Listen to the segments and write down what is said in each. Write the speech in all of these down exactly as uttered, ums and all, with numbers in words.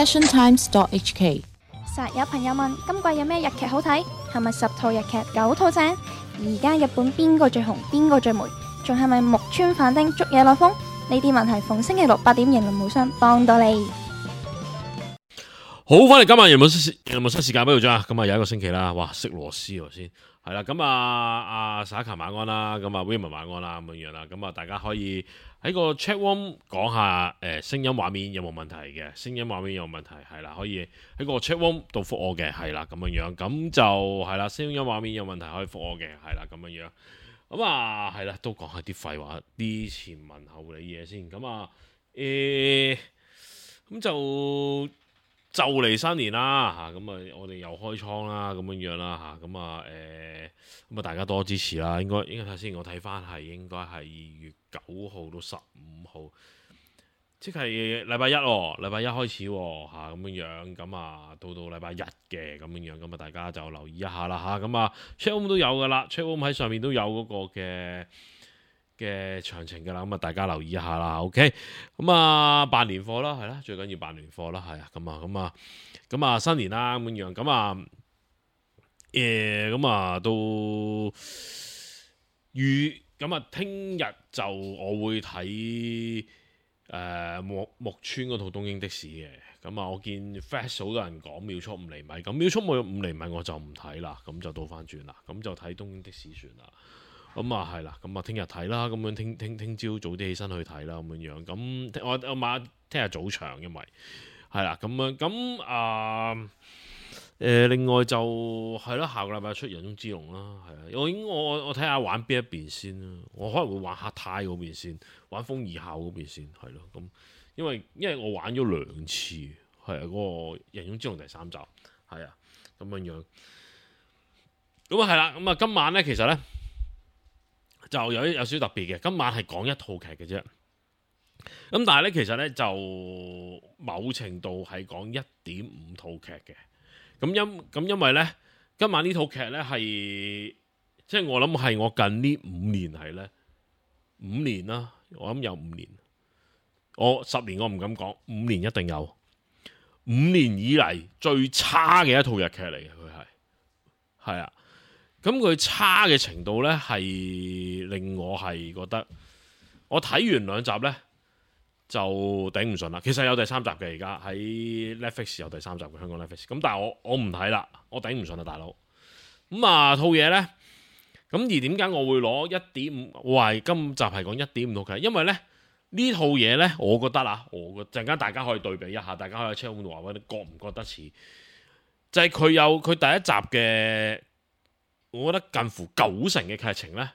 passion times dot h k。實有朋友問今季有咩日劇好睇？係咪十套日劇九套正？而家日本邊個最紅？邊個最霉？仲係咪木村反町捉野內風？呢啲問題逢星期六八點迎龍無雙幫到你。好，翻嚟今日有冇失有冇失時間俾到咗啊？咁啊有一個星期啦，哇，識螺絲喎先係啦。咁啊阿沙卡晚安啦，咁啊 William 晚安啦，咁樣樣啦。咁啊大家可以喺個 chat room 講下誒聲音畫面有冇問題嘅，聲音畫面有冇問題係啦，可以喺個 chat room 度覆我嘅係啦，咁樣樣咁就係啦，聲音畫面有問題可以覆我嘅係啦，咁樣樣咁啊係啦，都講下啲廢話，啲前文後理嘢先。咁啊誒咁就。就嚟新年啦嚇，咁啊我哋又開倉啦，咁樣樣啦嚇，咁啊誒，咁啊大家多支持啦，應該應該睇先，我睇翻係應該係二月九號到十五號，即係禮拜一喎，禮拜一開始喎嚇，咁樣樣，咁啊到到禮拜日嘅咁樣樣，咁啊大家就留意一下啦嚇，咁啊 chatroom 都有噶啦 chatroom 喺上面都有嗰個嘅。嘅詳情㗎啦，咁啊大家留意一下啦 ，OK，咁啊辦年貨啦，係啦，最緊要辦年貨啦，係啊，咁啊，咁啊，咁啊新年啦咁樣，咁啊，誒，咁啊都預，咁啊聽日就我會睇誒木木村嗰套東京的士嘅，咁啊我見 Flash 好多人講秒速五厘米，咁秒速冇五厘米我就唔睇啦，咁就倒翻轉啦，咁就睇東京的士算啦。咁啊係啦，咁啊聽日睇啦，咁樣聽聽聽朝早啲起身去睇啦，咁樣樣。咁我我晚聽日早場，因為係啦，咁樣咁啊誒，另外就係咯，下個禮拜出人中之龍啦，係啊，我應我我睇下玩邊一邊先啦，我可能會玩黑太嗰邊先，玩風二校嗰邊先，係咯，咁因為因為我玩咗兩次，係啊，嗰個人中之龍第三集，係啊，咁樣樣。咁啊係啦，咁啊今晚咧其實咧。就有有少少特別嘅，今晚係講一套劇嘅啫。咁但係咧，其實咧就某程度係講一點五套劇嘅。咁因咁因為咧，今晚呢套劇咧係即係我諗係我近呢五年係咧五年啦，我諗有五年。我十年我唔敢講，五年一定有。五年以嚟最差嘅一套日劇嚟嘅，佢係係啊。咁佢差嘅程度呢，係令我係覺得，我睇完兩集呢，就頂唔順啦。其實有第三集嘅，而家喺 Netflix 有第三集嘅，香港 Netflix。咁但係我我唔睇啦，我頂唔順啊，大佬。咁啊套嘢呢，咁而點解我會攞一點五？我話今集係講一點五套劇，因為呢呢套嘢呢，我覺得啊，我陣間大家可以對比一下，大家可以喺 channel 度話你覺唔覺得似？就係、是、佢有佢第一集嘅。我覺得近乎九成嘅劇情呢，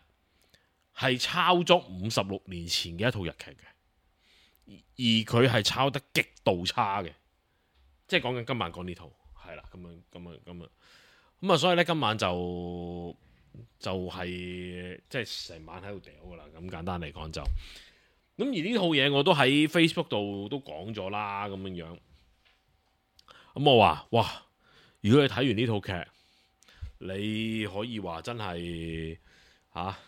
係抄咗五十六年前嘅一套日劇嘅，而佢係抄得極度差嘅，即係講緊今晚講呢套，係啦，咁樣咁樣咁樣，咁啊，所以呢，今晚就就係、是、即係成晚喺度屌噶啦，咁簡單嚟講就，咁而呢套嘢我都喺 Facebook 度都講咗啦，咁樣樣，咁我話哇，如果你睇完呢套劇。你可以話真係嚇、啊，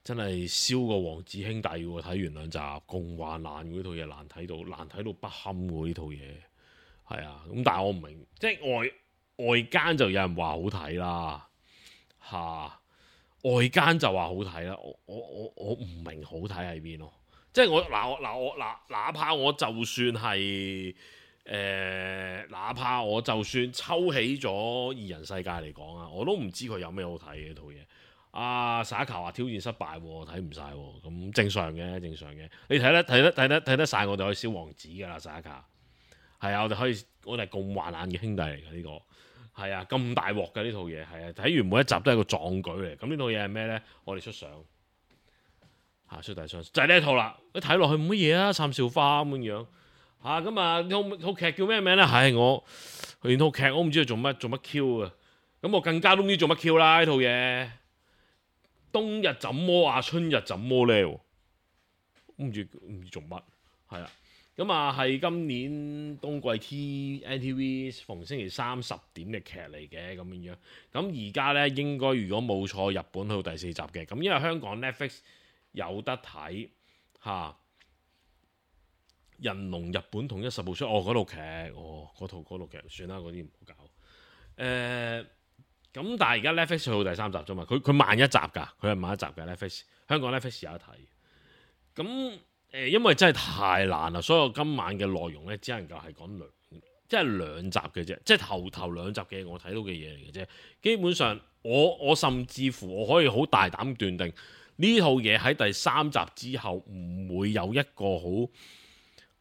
真係燒過王子兄弟喎！睇完兩集，共患難嗰套嘢難睇到，難睇到不堪喎！呢套嘢係啊，咁但係我唔明，即係外外間就有人話好睇啦嚇、啊，外間就話好睇啦，我我我我唔明好睇喺邊咯，即係我嗱我嗱我嗱，哪怕我就算係。誒、呃，哪怕我就算抽起咗二人世界嚟講啊，我都唔知佢有咩好睇嘅套嘢。阿撒球話挑戰失敗，睇唔晒，咁正常嘅，正常嘅。你睇得睇得睇得睇得晒，我哋可以燒王子噶啦，撒球係啊，我哋可以，我哋係共患難嘅兄弟嚟嘅呢個，係啊，咁大鑊嘅呢套嘢，係啊，睇完每一集都係個壯舉嚟。咁呢套嘢係咩咧？我哋出相吓，出大相就係呢一套啦。你睇落去冇乜嘢啊，杉咲花咁樣樣。嚇咁啊！套套劇叫咩名咧？係我連套劇我唔知佢做乜做乜 Q 啊！咁我更加都唔知做乜 Q 啦！呢套嘢冬日怎麼啊，春日怎麼咧？唔知唔知做乜係啦。咁啊係今年冬季 T N T V 逢星期三十點嘅劇嚟嘅咁樣樣。咁而家咧應該如果冇錯，日本去到第四集嘅。咁因為香港 Netflix 有得睇嚇。人龍日本統一十部出，哦嗰套劇，哦嗰套嗰套劇，算啦，嗰啲唔好搞。誒、呃，咁但係而家 Netflix 去到第三集啫嘛，佢佢慢一集㗎，佢係慢一集嘅 Netflix，香港 Netflix 有得睇。咁誒、呃，因為真係太難啦，所以我今晚嘅內容咧，只能夠係講兩，即係兩集嘅啫，即係頭頭兩集嘅我睇到嘅嘢嚟嘅啫。基本上，我我甚至乎我可以好大膽斷定呢套嘢喺第三集之後唔會有一個好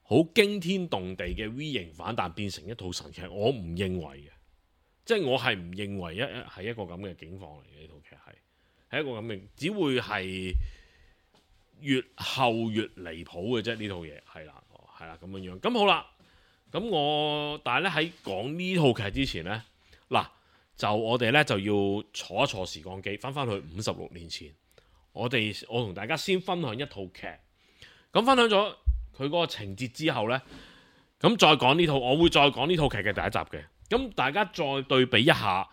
好驚天動地嘅 V 型反彈變成一套神劇，我唔認為嘅，即係我係唔認為一係一個咁嘅境況嚟嘅。呢套劇係係一個咁嘅，只會係越後越離譜嘅啫。呢套嘢係啦，係啦咁樣樣。咁好啦，咁我但係咧喺講呢套劇之前呢，嗱就我哋咧就要坐一坐時光機，翻翻去五十六年前。我哋我同大家先分享一套劇，咁分享咗佢嗰個情節之後呢，咁再講呢套，我會再講呢套劇嘅第一集嘅，咁大家再對比一下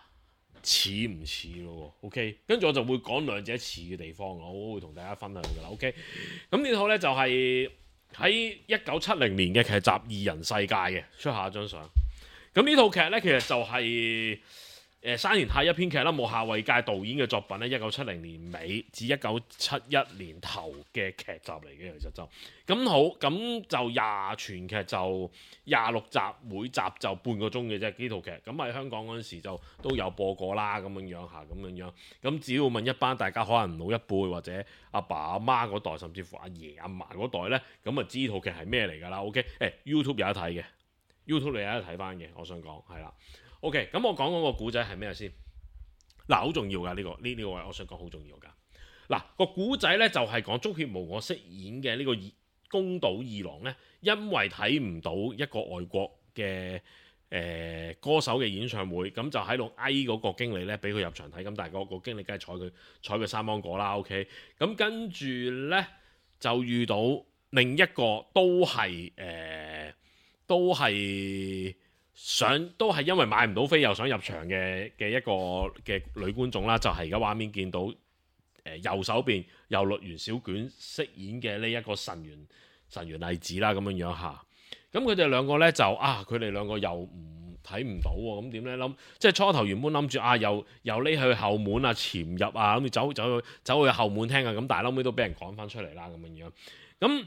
似唔似咯 ？OK，跟住我就會講兩者似嘅地方，我會同大家分享噶啦。OK，咁呢套呢就係喺一九七零年嘅劇集《二人世界》嘅，出下一張相。咁呢套劇呢，其實就係、是。誒山田太一編劇啦，木下惠介導演嘅作品咧，一九七零年尾至一九七一年頭嘅劇集嚟嘅，其實就咁好，咁就廿全劇就廿六集，每集就半個鐘嘅啫。呢套劇咁喺香港嗰陣時就都有播過啦，咁樣樣嚇，咁樣樣。咁只要問一班大家可能老一輩或者阿爸阿媽嗰代，甚至乎阿爺阿嫲嗰代咧，咁啊知呢套劇係咩嚟㗎啦 ？OK，誒 YouTube 有得睇嘅 ，YouTube 你有得睇翻嘅，我想講係啦。OK，咁我講嗰個古仔係咩先？嗱，好重要㗎呢、呢個呢呢、呢個位，我想講好重要㗎。嗱，個古仔咧就係講竹血無我飾演嘅呢個宮島二郎咧，因為睇唔到一個外國嘅誒、呃、歌手嘅演唱會，咁就喺度嗌嗰個經理咧俾佢入場睇，咁但係嗰個經理梗係睬佢睬佢生芒果啦。OK，咁跟住咧就遇到另一個都係誒、呃、都係。想都係因為買唔到飛又想入場嘅嘅一個嘅女觀眾啦，就係而家畫面見到誒、呃、右手邊由綠原小卷飾演嘅呢一個神原神原麗子啦，咁樣樣下，咁佢哋兩個咧就啊，佢哋兩個又唔睇唔到喎，咁點咧諗？即係初頭原本諗住啊，又又匿去後門啊，潛入啊，諗住走走去走去後門聽啊，咁但係後尾都俾人趕翻出嚟啦，咁樣樣咁。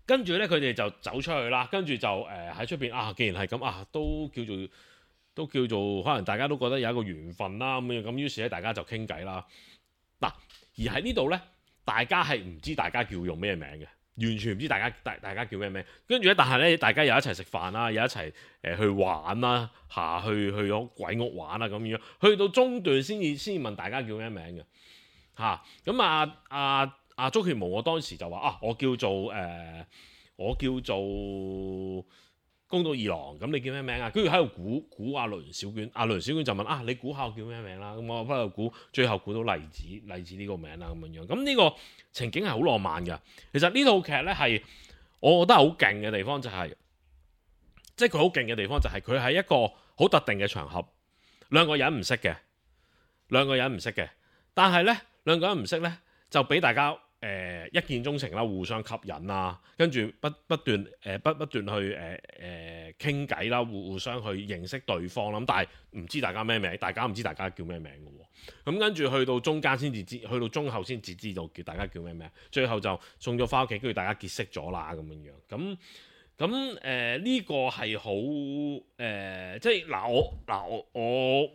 跟住咧，佢哋就走出去啦。跟住就誒喺出邊啊，既然係咁啊，都叫做都叫做可能大家都覺得有一個緣分啦咁樣。咁於是咧，大家就傾偈啦。嗱、啊，而喺呢度咧，大家係唔知大家叫用咩名嘅，完全唔知大家大大家叫咩名。跟住咧，但係咧，大家又一齊食飯啦，又一齊誒、呃、去玩啦，下去去咗鬼屋玩啦咁樣。去到中段先至先至問大家叫咩名嘅嚇。咁啊啊！啊，竹血無我當時就話啊，我叫做誒、呃，我叫做宮島二郎，咁你叫咩名啊？跟住喺度估估阿綠原小卷，阿綠原小卷就問啊，你估下我叫咩名啦？咁我喺度估，最後估到麗子，麗子呢個名啦咁樣樣。咁呢個情景係好浪漫㗎。其實呢套劇咧係，我覺得好勁嘅地方就係、是，即係佢好勁嘅地方就係佢係一個好特定嘅場合，兩個人唔識嘅，兩個人唔識嘅，但係咧兩個人唔識咧就俾大家。誒、呃、一見鍾情啦，互相吸引啦，跟住不不斷誒不不斷去誒誒傾偈啦，互互相去認識對方啦。咁但係唔知大家咩名，大家唔知大家叫咩名嘅喎。咁跟住去到中間先至知，去到中後先至知道叫大家叫咩名。最後就送咗翻屋企，跟住大家結識咗啦咁樣樣。咁咁誒呢個係好誒，即係嗱我嗱我我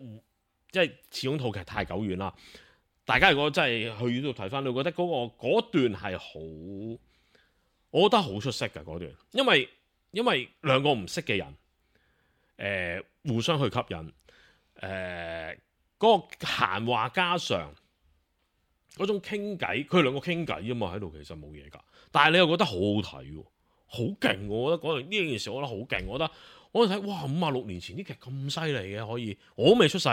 即係始終套劇太久遠啦。大家如果真係去呢度睇翻，你會覺得嗰、嗰個嗰段係好，我覺得好出色嘅嗰段，因為因為兩個唔識嘅人，誒、呃、互相去吸引，誒、呃、嗰、嗰個閒話家常，嗰種傾偈，佢兩個傾偈啊嘛喺度，其實冇嘢㗎，但係你又覺得好好睇喎，好勁！我覺得嗰呢件事，我覺得好勁，我覺得我睇哇五啊六年前啲劇咁犀利嘅，可以我都未出世。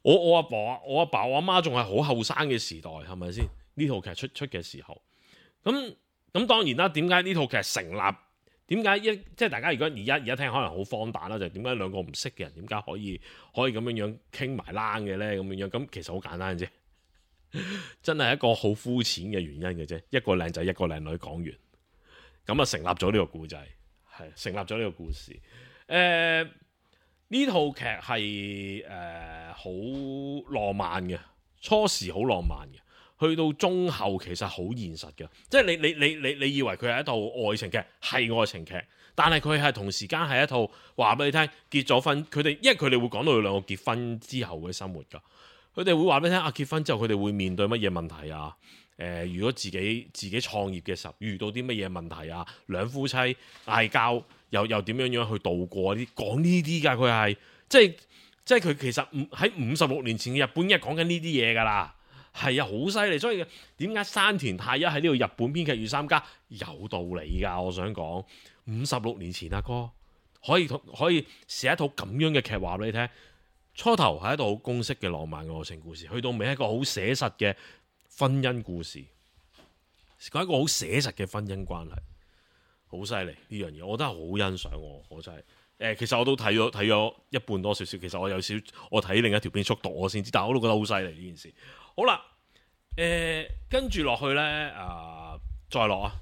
我我阿爸我阿爸我阿媽仲係好後生嘅時代，係咪先？呢套劇出出嘅時候，咁咁當然啦。點解呢套劇成立？點解一即係大家如果而家而家聽可能好荒誕啦，就係點解兩個唔識嘅人點解可以可以咁樣樣傾埋冷嘅咧？咁樣樣咁其實好簡單啫，真係一個好膚淺嘅原因嘅啫。一個靚仔一個靚女講完，咁啊成立咗呢個故仔，係成立咗呢個故事。誒、呃，呢套劇係誒好浪漫嘅，初時好浪漫嘅，去到中後其實好現實嘅，即係你你你你你以為佢係一套愛情劇，係愛情劇，但係佢係同時間係一套話俾你聽結咗婚，佢哋因為佢哋會講到佢兩個結婚之後嘅生活㗎，佢哋會話俾你聽啊，結婚之後佢哋會面對乜嘢問題啊？誒、呃，如果自己自己創業嘅時候遇到啲乜嘢問題啊，兩夫妻嗌交又又點樣樣去度過啲講呢啲㗎？佢係即係即係佢其實五喺五十六年前嘅日本已經講緊呢啲嘢㗎啦，係啊，好犀利。所以點解山田太一喺呢度日本編劇御三家有道理㗎？我想講五十六年前啊哥可以可以寫一套咁樣嘅劇話俾你聽，初頭係一套好公式嘅浪漫愛情故事，去到尾係一個好寫實嘅婚姻故事，講一個好寫實嘅婚姻關係，好犀利呢樣嘢，我覺得好欣賞我，我真係誒、呃，其實我都睇咗睇咗一半多少少，其實我有少我睇另一條片速讀我先知，但係我都覺得好犀利呢件事。好啦，誒、呃，跟住落去呢，啊、呃，再落啊，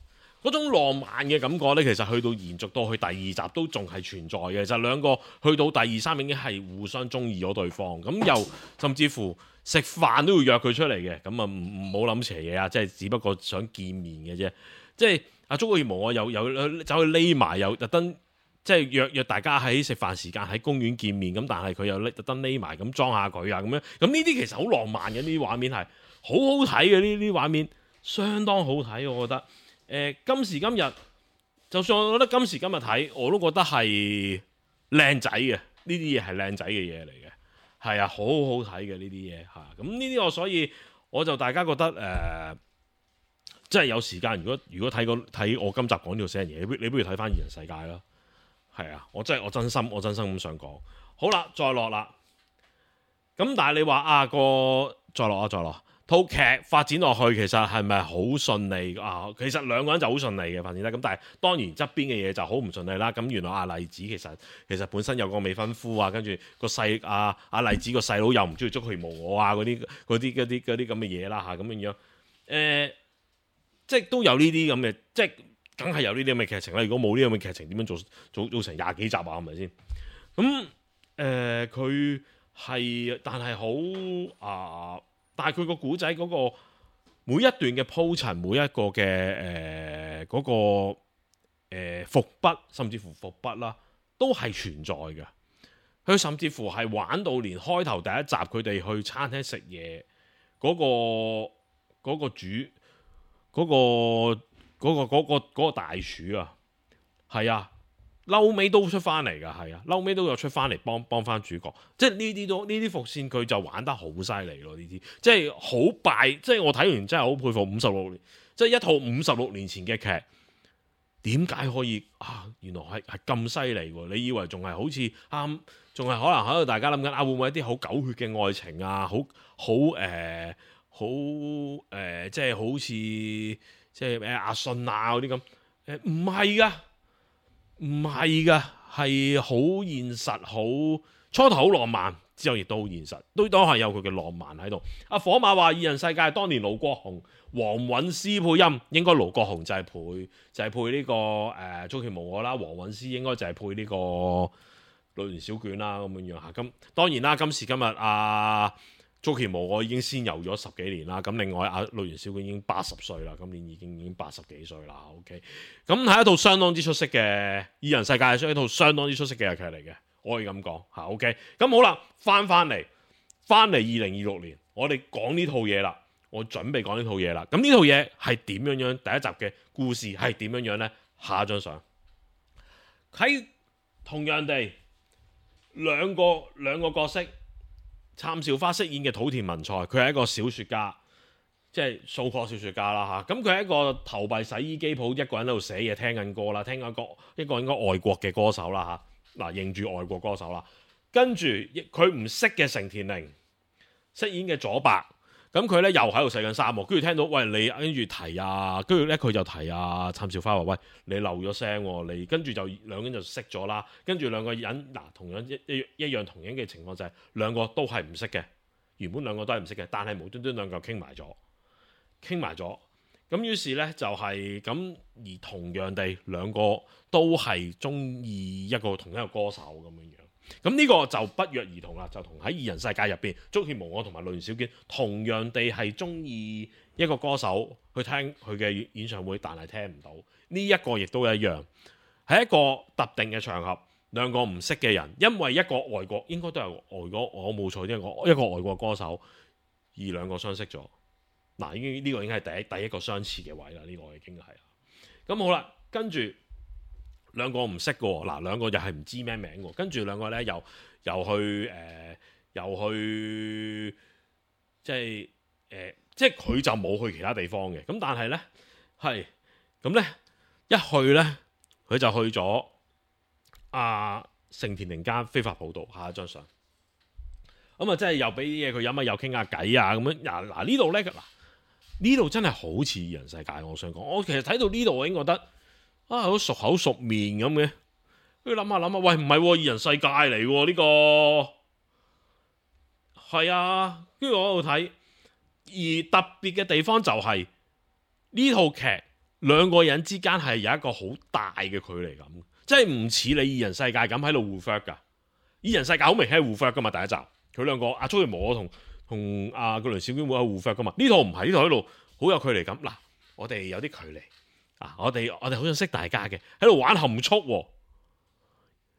嗰種浪漫嘅感覺呢，其實去到延續到去第二集都仲係存在嘅，就兩個去到第二三已經係互相中意咗對方，咁又甚至乎食飯都要約佢出嚟嘅，咁啊唔唔好諗邪嘢啊，即係只不過想見面嘅啫。即係阿竹野無我有有走去匿埋，又特登即係約約大家喺食飯時間喺公園見面，咁但係佢又特登匿埋咁裝下佢啊咁樣。咁呢啲其實好浪漫嘅，呢啲畫面係好好睇嘅，呢啲畫面相當好睇，我覺得。誒、呃、今時今日，就算我覺得今時今日睇，我都覺得係靚仔嘅，呢啲嘢係靚仔嘅嘢嚟嘅。係啊，好好睇嘅呢啲嘢嚇，咁呢啲我所以我就大家覺得誒、呃，即係有時間，如果如果睇個睇我今集講呢個死人嘢，你不你不如睇翻《二人世界》啦。係啊，我真係我真心我真心咁想講。好啦，再落啦。咁但係你話啊個再落啊再落，套劇發展落去其實係咪好順利啊？其實兩個人就好順利嘅發展得，咁但係當然側邊嘅嘢就好唔順利啦。咁原來阿麗子其實其實本身有個未婚夫啊，跟住個細阿阿麗子個細佬又唔中意捉佢無我啊，嗰啲嗰啲嗰啲嗰啲咁嘅嘢啦嚇，咁樣樣誒、呃，即係都有呢啲咁嘅，即係梗係有呢啲咁嘅劇情啦。如果冇呢啲咁嘅劇情，點樣做做做成廿幾集啊？係咪先？咁誒佢係，但係好啊。但係佢個古仔嗰個每一段嘅鋪陳，每一個嘅誒嗰個誒伏筆，甚至乎伏筆啦，都係存在嘅。佢甚至乎係玩到連開頭第一集佢哋去餐廳食嘢嗰個嗰個主嗰個嗰個嗰個嗰個大廚啊，係啊。嬲尾都出翻嚟㗎，係啊，嬲尾都有出翻嚟幫幫翻主角，即係呢啲都呢啲伏線佢就玩得好犀利咯，呢啲即係好敗，即係我睇完真係好佩服五十六年，即係一套五十六年前嘅劇，點解可以啊？原來係係咁犀利喎！你以為仲係好似啱，仲、啊、係可能喺度大家諗緊啊，會唔會一啲好狗血嘅愛情啊？好好誒，好誒、呃，即係好似即係誒阿信啊嗰啲咁誒，唔係㗎。唔係噶，係好現實，好初頭好浪漫，之後亦都好現實，都都係有佢嘅浪漫喺度。阿火馬話《二人世界》當年盧國雄、黃韻詩配音，應該盧國雄就係配就係、是、配呢、這個誒竹崎無我啦，黃韻詩應該就係配呢、這個《旅連小卷》啦咁樣樣嚇。咁當然啦，今時今日阿竹崎無我已經仙遊咗十幾年啦。咁另外阿《旅連小卷》已經八十歲啦，今年已經已經八十幾歲啦。OK，咁係一套相當之出色嘅《二人世界》，係一套相當之出色嘅日劇嚟嘅，我可以咁講嚇。OK，咁好啦，翻翻嚟，翻嚟二零二六年，我哋講呢套嘢啦，我準備講呢套嘢啦。咁呢套嘢係點樣樣？第一集嘅故事係點樣樣呢？下一張相喺同樣地兩個兩個角色。杉咲花飾演嘅土田文菜，佢係一個小說家，即係數學小說家啦嚇。咁佢係一個投幣洗衣機鋪，一個人喺度寫嘢，聽緊歌啦，聽緊歌，一個應該外國嘅歌手啦嚇。嗱，認住外國歌手啦。跟住佢唔識嘅成田玲飾演嘅佐伯，咁佢咧又喺度洗緊衫喎。跟住聽到喂你，跟住提啊，跟住咧佢就提啊杉咲花話喂你漏咗聲喎，你跟住就兩個人就識咗啦。跟住兩個人嗱同樣一一一樣同樣嘅情況就係、是、兩個都係唔識嘅，原本兩個都係唔識嘅，但係無端端兩個傾埋咗，傾埋咗。咁於是呢，就係、是、咁，而同樣地兩個都係中意一個同一個歌手咁樣樣。咁呢個就不約而同啦，就同喺二人世界入邊，足協無我同埋雷小健同樣地係中意一個歌手去聽佢嘅演唱會，但係聽唔到。呢、這、一個亦都一樣，喺一個特定嘅場合，兩個唔識嘅人，因為一個外國應該都係外國，我冇錯，一個一個外國歌手，而兩個相識咗。嗱，已經呢、這個已經係第一第一個相似嘅位啦，呢、這個已經係。咁好啦，跟住。兩個唔識嘅喎，嗱兩個又係唔知咩名喎，跟住兩個咧又又去誒、呃，又去即係誒、呃，即係佢就冇去其他地方嘅，咁但係咧係咁咧一去咧，佢就去咗阿盛田寧間非法普渡。下一張相，咁啊即係又俾啲嘢佢飲啊，又傾下偈啊咁樣。嗱嗱呢度咧，嗱呢度真係好似二人世界。我想講，我其實睇到呢度我已經覺得。啊，好熟口熟面咁嘅，跟住諗下諗下，喂唔係喎，二人世界嚟喎呢個，係啊，跟住我喺度睇，而特別嘅地方就係、是、呢套劇兩個人之間係有一個好大嘅距離感，即係唔似你二人世界咁喺度互 fuck 噶，二人世界好明顯係互 fuck 噶嘛，第一集佢兩個阿足協無我同同阿個雷小娟會喺互 fuck 噶嘛，呢套唔係，呢套喺度好有距離感，嗱我哋有啲距離。啊！我哋我哋好想識大家嘅，喺度玩含蓄、喎，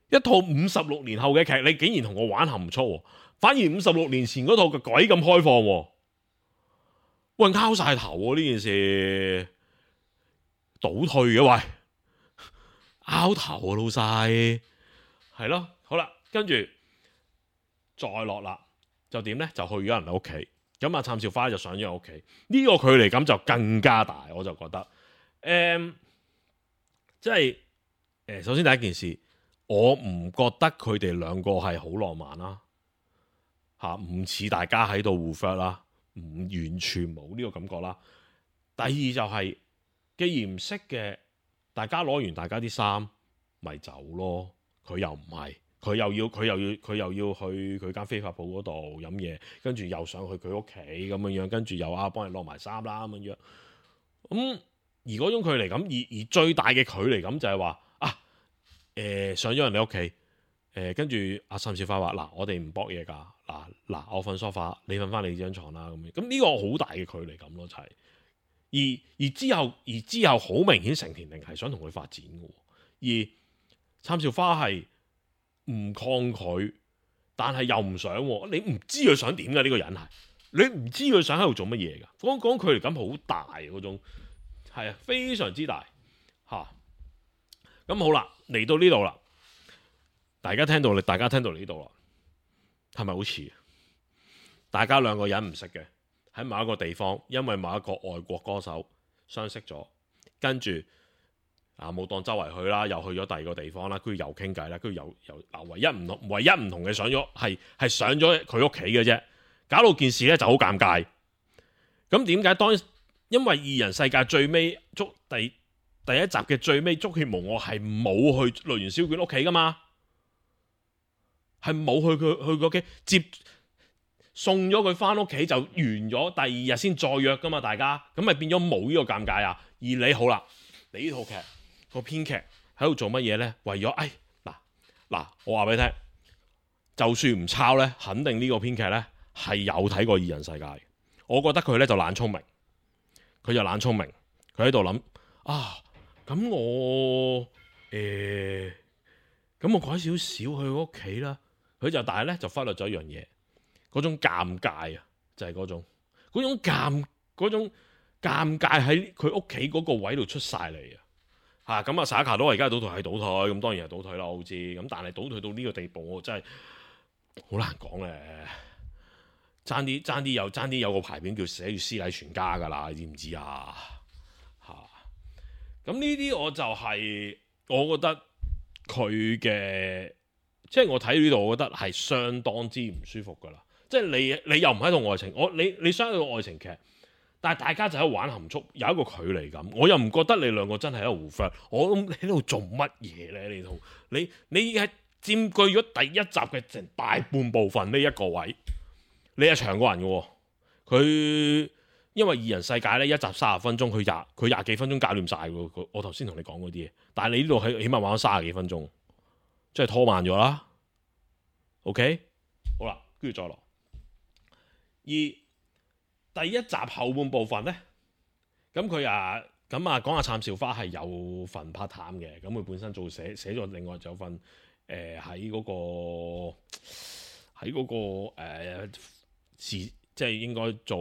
一套五十六年後嘅劇，你竟然同我玩含蓄、喎，反而五十六年前嗰套嘅鬼咁開放、喎，喂拗晒頭喎、啊！呢件事倒退嘅喂，拗頭啊老細，係咯，好啦，跟住再落啦，就點咧？就去咗人哋屋企，咁啊杉咲花就上咗人屋企，呢、這個距離感就更加大，我就覺得。誒、嗯，即係誒，首先第一件事，我唔覺得佢哋兩個係好浪漫啦，嚇唔似大家喺度互 fuck 啦，唔完全冇呢個感覺啦。第二就係、是，既然唔識嘅，大家攞完大家啲衫，咪走咯。佢又唔係，佢又要佢又要佢又要去佢間飛髮鋪嗰度飲嘢，跟住又上去佢屋企咁樣樣，跟住又啊幫你攞埋衫啦咁樣樣，咁。而嗰種距離感，而而最大嘅距離感就係話啊，誒、呃、上咗人哋屋企，誒跟住阿杉咲花話嗱，我哋唔搏嘢㗎，嗱嗱我瞓梳化，你瞓翻你張床啦咁樣，咁呢個好大嘅距離感咯，就係、是。而而之後而之後好明顯，盛田寧係想同佢發展嘅，而杉咲花係唔抗拒，但係又唔想，你唔知佢想點㗎呢個人係，你唔知佢想喺度做乜嘢㗎，講講距離感好大嗰種。係啊，非常之大嚇。咁、啊、好啦，嚟到呢度啦，大家聽到，大家聽到呢度啦，係咪好似？大家兩個人唔識嘅，喺某一個地方，因為某一個外國歌手相識咗，跟住啊冇當周圍去啦，又去咗第二個地方啦，跟住又傾偈啦，跟住又又嗱，唯一唔同，唯一唔同嘅上咗係係上咗佢屋企嘅啫，搞到件事咧就好尷尬。咁點解當？因為二人世界最尾足第第一集嘅最尾，足協無我係冇去雷元小卷屋企噶嘛，係冇去佢去佢屋企接送咗佢翻屋企就完咗，第二日先再約噶嘛，大家咁咪變咗冇呢個尷尬啊。而你好啦，你呢套劇個編劇喺度做乜嘢呢？為咗誒嗱嗱，我話俾你聽，就算唔抄呢，肯定呢個編劇呢係有睇過二人世界。我覺得佢呢就懶聰明。佢就懶聰明，佢喺度諗啊，咁我誒，咁、欸、我改少少去屋企啦。佢就但係咧就忽略咗一樣嘢，嗰種尷尬啊，就係、是、嗰種嗰種尷嗰種尷尬喺佢屋企嗰個位度出晒嚟啊！嚇咁啊，沙卡都話而家倒退係倒退，咁當然係倒退啦，我知。咁但係倒退到呢個地步，我真係好難講咧。爭啲爭啲有爭啲有個牌匾叫寫住屍禮全家㗎啦，你知唔知啊？嚇！咁呢啲我就係、是、我覺得佢嘅，即係我睇呢度，我覺得係相當之唔舒服㗎啦。即係你你又唔係一套愛情，我你你想一套愛情劇，但係大家就喺度玩含蓄，有一個距離感。我又唔覺得你兩個真係喺度互 friend，我你喺度做乜嘢咧？你套你你係佔據咗第一集嘅成大半部分呢一個位。你係長過人嘅，佢因為二人世界咧一集三十分鐘，佢廿佢廿幾分鐘搞掂晒喎。我頭先同你講嗰啲嘢，但係你呢度起起碼玩咗三十幾分鐘，即係拖慢咗啦。OK， 好啦，跟住再落。而第一集後半部分咧，咁佢啊咁啊講下杉咲花係有份 part time 嘅，咁佢本身做寫寫咗另外就有份誒喺嗰個喺嗰、嗰個、呃、時即係應該做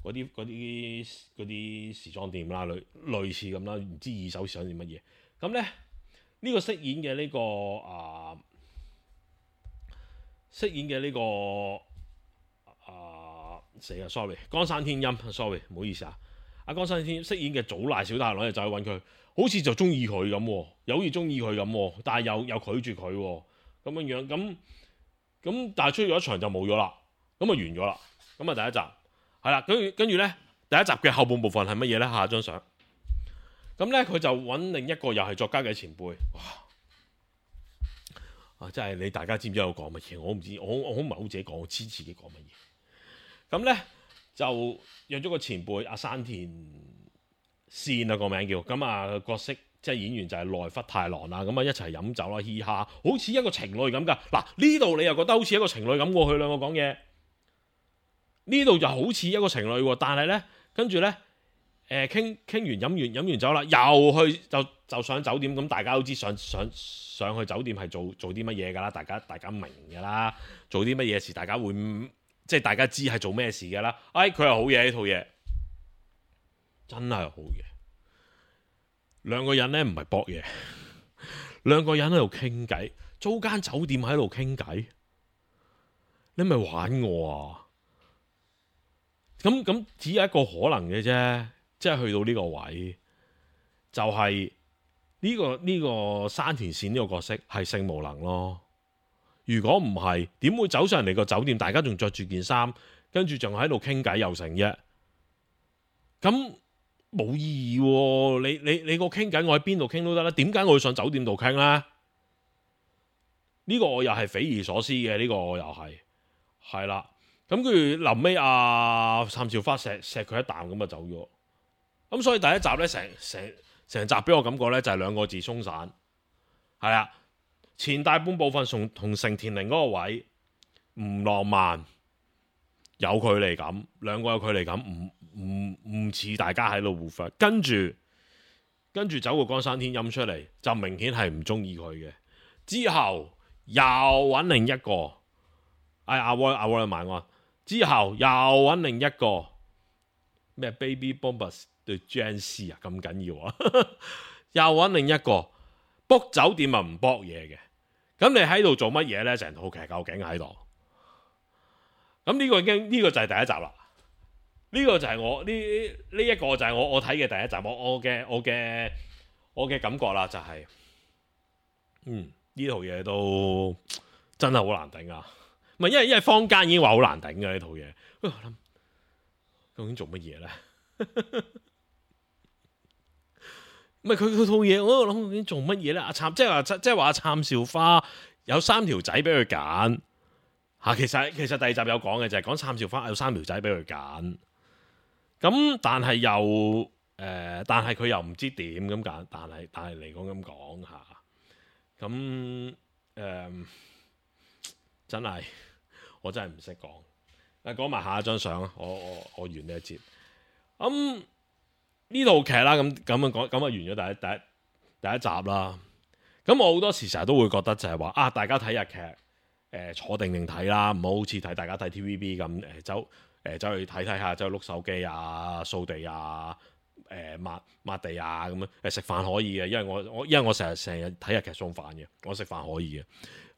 嗰啲嗰啲嗰啲時裝店啦，類類似咁啦，唔知二手時裝店乜嘢。咁咧呢、呢個飾演嘅呢、呢個啊飾演嘅呢、呢個啊死啊 sorry 岡山天音 sorry 唔好意思啊，阿岡山天音飾演嘅祖瀨小太郎就去揾佢，好似就中意佢咁，又好似中意佢咁，但係又又拒絕佢咁樣樣咁咁，但係出咗一場就冇咗啦，咁啊完咗啦，咁啊第一集。係啦，跟住跟住咧，第一集嘅後半部分係乜嘢咧？下一張相，咁咧佢就揾另一個又係作家嘅前輩，哇！啊，真係你大家知唔知我講乜嘢？我唔知，我我好唔係好自己講，我知自己講乜嘢。咁咧就約咗個前輩阿山田線啊個名叫，咁啊角色即係演員就係內忽太郎啦，咁啊一齊飲酒啦，嘻哈，好似一個情侶咁㗎。嗱呢度你又覺得好似一個情侶咁喎，佢兩個講嘢。呢度就好似一個情侶喎，但係咧，跟住咧，誒傾傾完飲完飲完酒啦，又去就就上酒店，咁大家都知上上上去酒店係做做啲乜嘢㗎啦，大家大家明㗎啦，做啲乜嘢事大家會即係大家知係做咩事㗎啦。哎，佢係好嘢呢套嘢，真係好嘢。兩個人咧唔係搏嘢，兩個人喺度傾偈，租間酒店喺度傾偈，你咪玩我啊！咁咁只有一個可能嘅啫，即係去到呢個位，就係、是、呢、呢個呢、呢個山田線呢個角色係性無能咯。如果唔係，點會走上嚟個酒店，大家仲着住件衫，跟住仲喺度傾偈又成啫？咁冇意義喎！你你你個傾偈，我喺邊度傾都得啦。點解我會上酒店度傾咧？呢、呢個我又係匪夷所思嘅。呢、呢個我又係係啦。咁佢臨尾阿杉咲花錫錫佢一啖咁就走咗，咁所以第一集咧成成成集俾我感覺咧就係兩個字鬆散，係啊，前大半部分同同成田玲嗰個位唔浪漫，有距離感，兩個有距離感，唔唔唔似大家喺度互忽，跟住跟住走個岡山天音出嚟，就明顯係唔中意佢嘅，之後又揾另一個，哎阿威阿威晚安。之後又揾另一個咩 Baby Bombers 對 Jan C 啊，咁緊要啊！又揾另一個 book 酒店啊唔 book 嘢嘅，咁你喺度做乜嘢呢？成套劇究竟喺度？咁呢個已經呢、呢個就係第一集啦。呢、呢個就係我呢呢一個就係我我睇嘅第一集，我我嘅我嘅我嘅感覺啦，就係、是、嗯呢套嘢都真係好難頂啊！唔係，因為因為坊間已經話好難頂嘅呢套嘢。我諗究竟做乜嘢咧？唔係佢佢套嘢，我諗究竟做乜嘢咧？阿杉即係話即係話阿杉咲花有三條仔俾佢揀嚇。其實其實第二集有講嘅就係講杉咲花有三條仔俾佢揀。咁但係又誒、呃，但係佢又唔知點咁揀。但係但係嚟講咁講嚇。咁誒。呃真係，我真係唔識講。誒，講埋下一張相啊！我我我完呢一節。咁呢套劇啦，咁咁樣講，咁啊完咗第一第一第一集啦。咁我好多時成日都會覺得就係話啊，大家睇日劇，誒、呃、坐定定睇啦，唔好好似睇大家睇 T V B 咁誒走誒走去睇睇下，走去碌手機啊、掃地啊、誒、呃、抹抹地啊咁樣。誒食飯可以嘅，因為我我因為我成日成日睇日劇送飯嘅，我食飯可以嘅。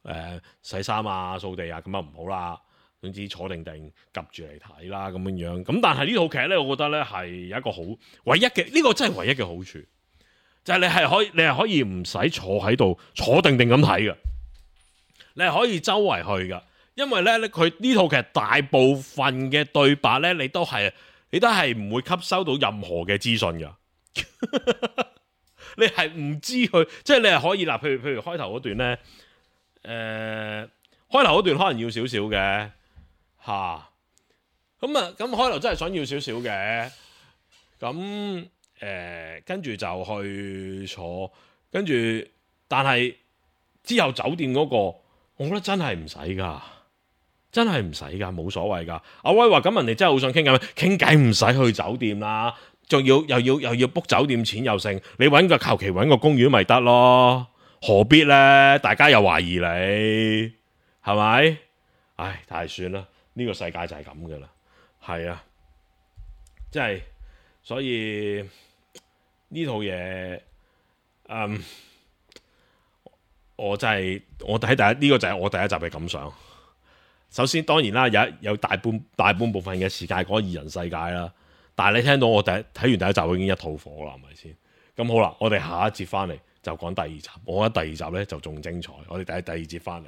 誒、呃、洗衫啊、掃地啊，咁啊唔好啦。總之坐定定，夾住嚟睇啦，咁樣樣。咁但係呢套劇咧，我覺得咧係有一個好唯一嘅，呢、這個真係唯一嘅好處，就係、是、你係可以，你係可以唔使坐喺度，坐定定咁睇嘅。你係可以周圍去噶，因為咧佢呢套劇大部分嘅對白咧，你都係你都係唔會吸收到任何嘅資訊噶。你係唔知佢，即係你係可以嗱，譬如譬如開頭嗰段咧。誒、呃、開頭嗰段可能要少少嘅嚇，咁啊，咁開頭真係想要少少嘅，咁誒跟住就去坐，跟住但係之後酒店嗰個，我覺得真係唔使噶，真係唔使噶，冇所謂噶。阿威話：咁人哋真係好想傾偈，傾偈唔使去酒店啦，仲要又要又要 book 酒店錢又剩，你揾個求其揾個公園咪得咯，何必呢？大家又懷疑你，係咪？唉，但係算啦，呢個世界就係咁噶啦。係啊，即係所以呢套嘢，嗯，我真係我睇第一呢、這個就係我第一集嘅感想。首先當然啦，有有大半大半部分嘅時間講二人世界啦，但係你聽到我第睇完第一集已經一肚火啦，係咪先？咁好啦，我哋下一節翻嚟就講第二集，我覺得第二集呢就仲精彩。我哋第第二節翻嚟。